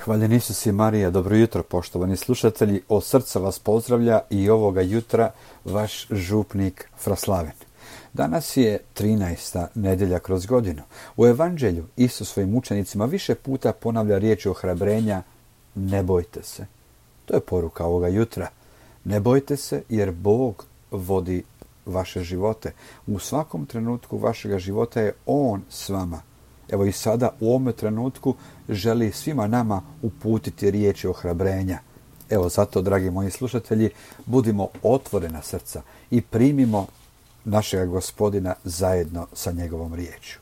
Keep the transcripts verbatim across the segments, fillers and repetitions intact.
Hvaljen Isus i Marija, dobro jutro poštovani slušatelji, od srca vas pozdravlja i ovoga jutra vaš župnik Fraslaven. Danas je trinaesta nedjelja kroz godinu. U Evanđelju Isus svojim učenicima više puta ponavlja riječi ohrabrenja: ne bojte se. To je poruka ovoga jutra. Ne bojte se jer Bog vodi vaše živote. U svakom trenutku vašega života je On s vama. Evo i sada u ovome trenutku želi svima nama uputiti riječi ohrabrenja. Evo zato, dragi moji slušatelji, budimo otvorena srca i primimo našega Gospodina zajedno sa njegovom riječju.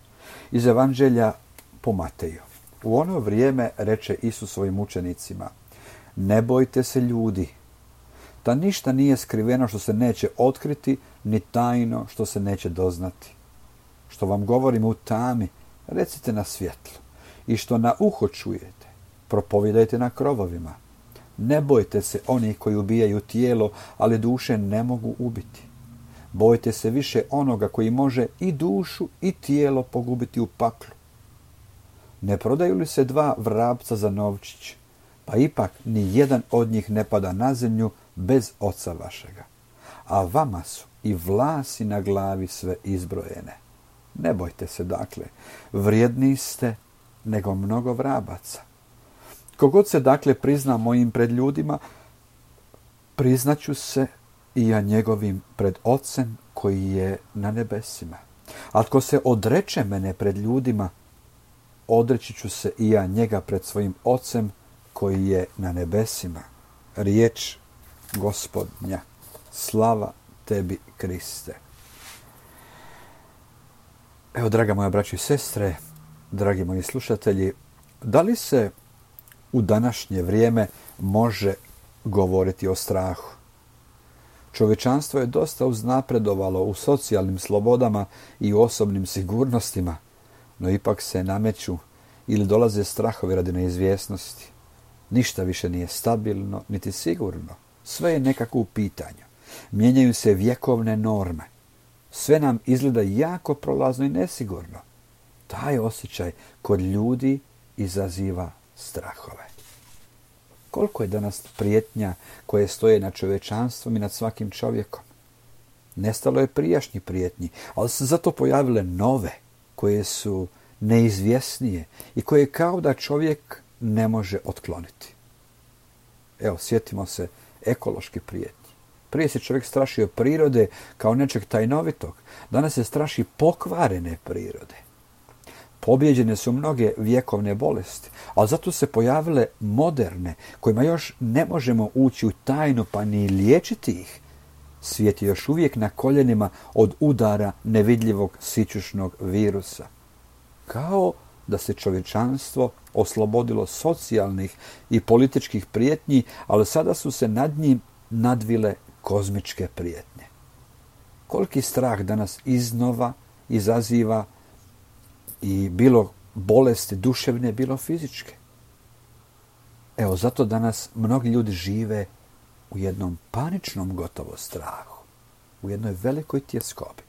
Iz Evanđelja po Mateju. U ono vrijeme reče Isus svojim učenicima: ne bojte se ljudi, da ništa nije skriveno što se neće otkriti, ni tajno što se neće doznati. Što vam govorim u tami, recite na svjetlu, i što na uho čujete, propovijedajte na krovovima. Ne bojte se onih koji ubijaju tijelo, ali duše ne mogu ubiti. Bojte se više onoga koji može i dušu i tijelo pogubiti u paklu. Ne prodaju li se dva vrapca za novčić, pa ipak ni jedan od njih ne pada na zemlju bez Oca vašega. A vama su i vlasi na glavi sve izbrojene. Ne bojte se dakle, vrijedniji ste nego mnogo vrabaca. Kogod se dakle prizna mojim pred ljudima, priznaću se i ja njegovim pred Ocem koji je na nebesima. A tko se odreče mene pred ljudima, odreći ću se i ja njega pred svojim Ocem koji je na nebesima. Riječ Gospodnja. Slava tebi, Kriste. Evo, draga moja braćo i sestre, dragi moji slušatelji, da li se u današnje vrijeme može govoriti o strahu? Čovječanstvo je dosta uznapredovalo u socijalnim slobodama i u osobnim sigurnostima, no ipak se nameću ili dolaze strahovi radi neizvjesnosti. Ništa više nije stabilno niti sigurno. Sve je nekako u pitanju. Mijenjaju se vjekovne norme. Sve nam izgleda jako prolazno i nesigurno. Taj osjećaj kod ljudi izaziva strahove. Koliko je danas prijetnja koje stoje nad čovječanstvom i nad svakim čovjekom? Nestalo je prijašnji prijetnji, ali se zato pojavile nove, koje su neizvjesnije i koje kao da čovjek ne može otkloniti. Evo, sjetimo se ekološki prijetnji. Prije se čovjek strašio prirode kao nečeg tajnovitog. Danas se straši pokvarene prirode. Pobjeđene su mnoge vjekovne bolesti, ali zato se pojavile moderne, kojima još ne možemo ući u tajnu pa ni liječiti ih. Svijet je još uvijek na koljenima od udara nevidljivog sićušnog virusa. Kao da se čovječanstvo oslobodilo socijalnih i političkih prijetnji, ali sada su se nad njim nadvile kozmičke prijetnje. Koliki strah danas iznova izaziva i bilo bolesti duševne, bilo fizičke. Evo, zato danas mnogi ljudi žive u jednom paničnom gotovo strahu, u jednoj velikoj tjeskobi.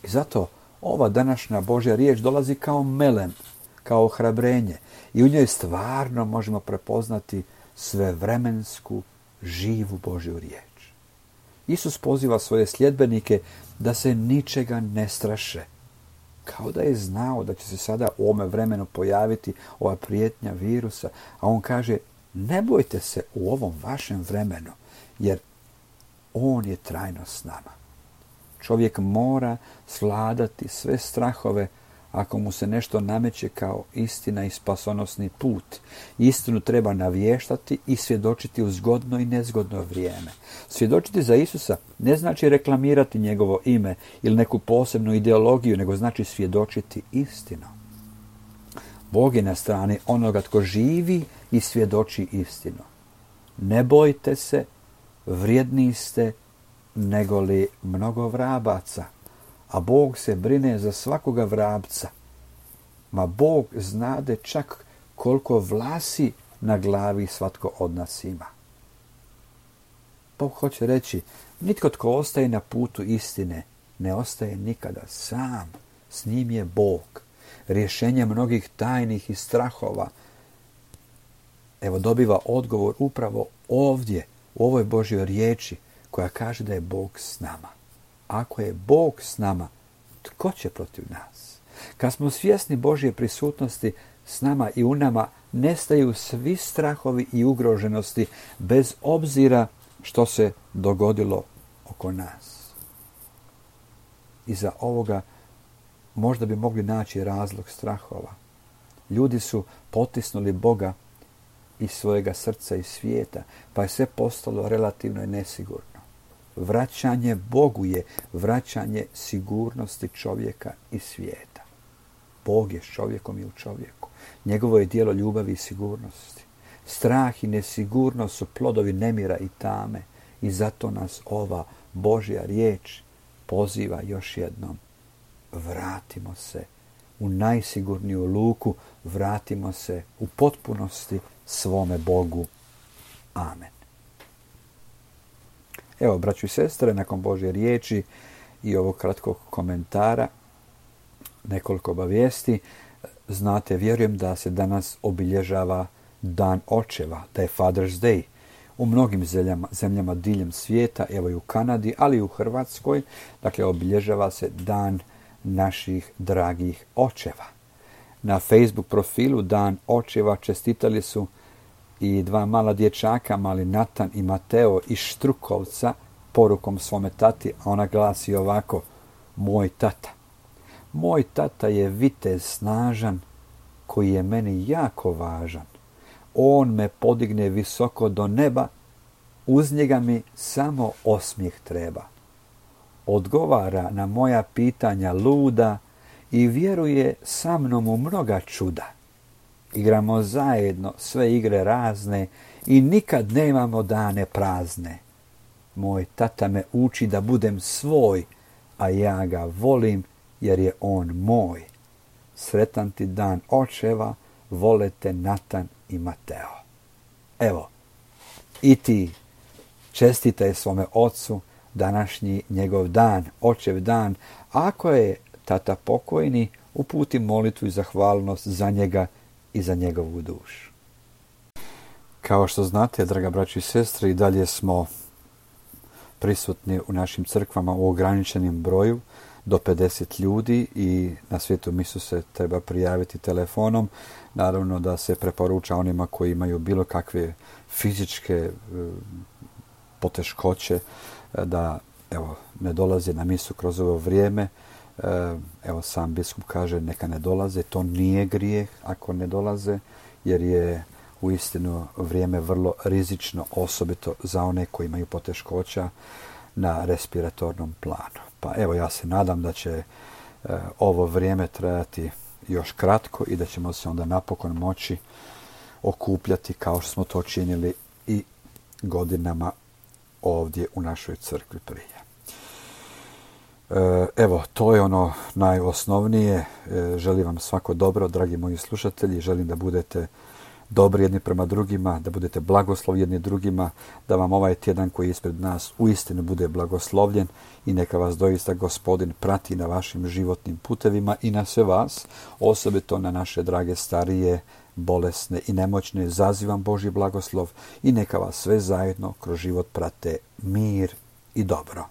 I zato ova današnja Božja riječ dolazi kao melem, kao ohrabrenje i u njoj stvarno možemo prepoznati svevremensku, živu Božju riječ. Isus poziva svoje sljedbenike da se ničega ne straše, kao da je znao da će se sada u ovome vremenu pojaviti ova prijetnja virusa, a on kaže: ne bojte se u ovom vašem vremenu, jer on je trajno s nama. Čovjek mora svladati sve strahove ako mu se nešto nameće kao istina i spasonosni put. Istinu treba navještati i svjedočiti u zgodno i nezgodno vrijeme. Svjedočiti za Isusa ne znači reklamirati njegovo ime ili neku posebnu ideologiju, nego znači svjedočiti istinu. Bog je na strani onoga tko živi i svjedoči istinu. Ne bojte se, vrijedniji ste nego li mnogo vrabaca. A Bog se brine za svakoga vrapca. Ma Bog znade čak koliko vlasi na glavi svatko od nas ima. Bog hoće reći, nitko tko ostaje na putu istine ne ostaje nikada sam. S njim je Bog. Rješenje mnogih tajnih i strahova Evo, dobiva odgovor upravo ovdje, u ovoj Božjoj riječi, koja kaže da je Bog s nama. Ako je Bog s nama, tko će protiv nas? Kad smo svjesni Božje prisutnosti s nama i u nama, nestaju svi strahovi i ugroženosti, bez obzira što se dogodilo oko nas. Iza ovoga možda bi mogli naći razlog strahova. Ljudi su potisnuli Boga iz svojega srca i svijeta, pa je sve postalo relativno i nesigurno. Vraćanje Bogu je vraćanje sigurnosti čovjeka i svijeta. Bog je s čovjekom i u čovjeku. Njegovo je djelo ljubavi i sigurnosti. Strah i nesigurnost su plodovi nemira i tame i zato nas ova Božja riječ poziva još jednom. Vratimo se u najsigurniju luku, vratimo se u potpunosti svome Bogu. Amen. Evo, braćo i sestre, nakon Božje riječi i ovog kratkog komentara, nekoliko obavijesti. Znate, vjerujem da se danas obilježava Dan očeva, da je Father's Day. U mnogim zemljama, zemljama diljem svijeta, evo i u Kanadi, ali i u Hrvatskoj, dakle, obilježava se Dan naših dragih očeva. Na Facebook profilu Dan očeva čestitali su i dva mala dječaka, mali Natan i Mateo iz Štrukovca, porukom svome tati, a ona glasi ovako: moj tata. Moj tata je vitez snažan, koji je meni jako važan. On me podigne visoko do neba, uz njega mi samo osmijeh treba. Odgovara na moja pitanja luda i vjeruje sa mnom u mnoga čuda. Igramo zajedno sve igre razne i nikad nemamo dane prazne. Moj tata me uči da budem svoj, a ja ga volim jer je on moj. Sretan ti dan očeva, vole te Natan i Mateo. Evo, i ti čestitaj svome ocu današnji njegov dan, očev dan. Ako je tata pokojni, uputi molitvu i zahvalnost za njega i za njegovu dušu. Kao što znate, draga braćo i sestre, i dalje smo prisutni u našim crkvama u ograničenim broju do pedeset ljudi i na svetu misu se treba prijaviti telefonom. Naravno da se preporuča onima koji imaju bilo kakve fizičke e, poteškoće da evo, ne dolaze na misu kroz ovo vrijeme. E, evo, sam biskup kaže neka ne dolaze. To nije grijeh ako ne dolaze, jer je uistinu vrijeme vrlo rizično, osobito za one koji imaju poteškoća na respiratornom planu. Pa evo, ja se nadam da će e, ovo vrijeme trajati još kratko i da ćemo se onda napokon moći okupljati kao što smo to činili i godinama ovdje u našoj crkvi prije. E, evo, to je ono najosnovnije. E, želim vam svako dobro, dragi moji slušatelji. Želim da budete dobri jedni prema drugima, da budete blagoslovi jedni drugima, da vam ovaj tjedan koji je ispred nas uistinu bude blagoslovljen i neka vas doista Gospodin prati na vašim životnim putevima i na sve vas, osobito na naše drage starije, bolesne i nemoćne. Zazivam Božji blagoslov i neka vas sve zajedno kroz život prate mir i dobro.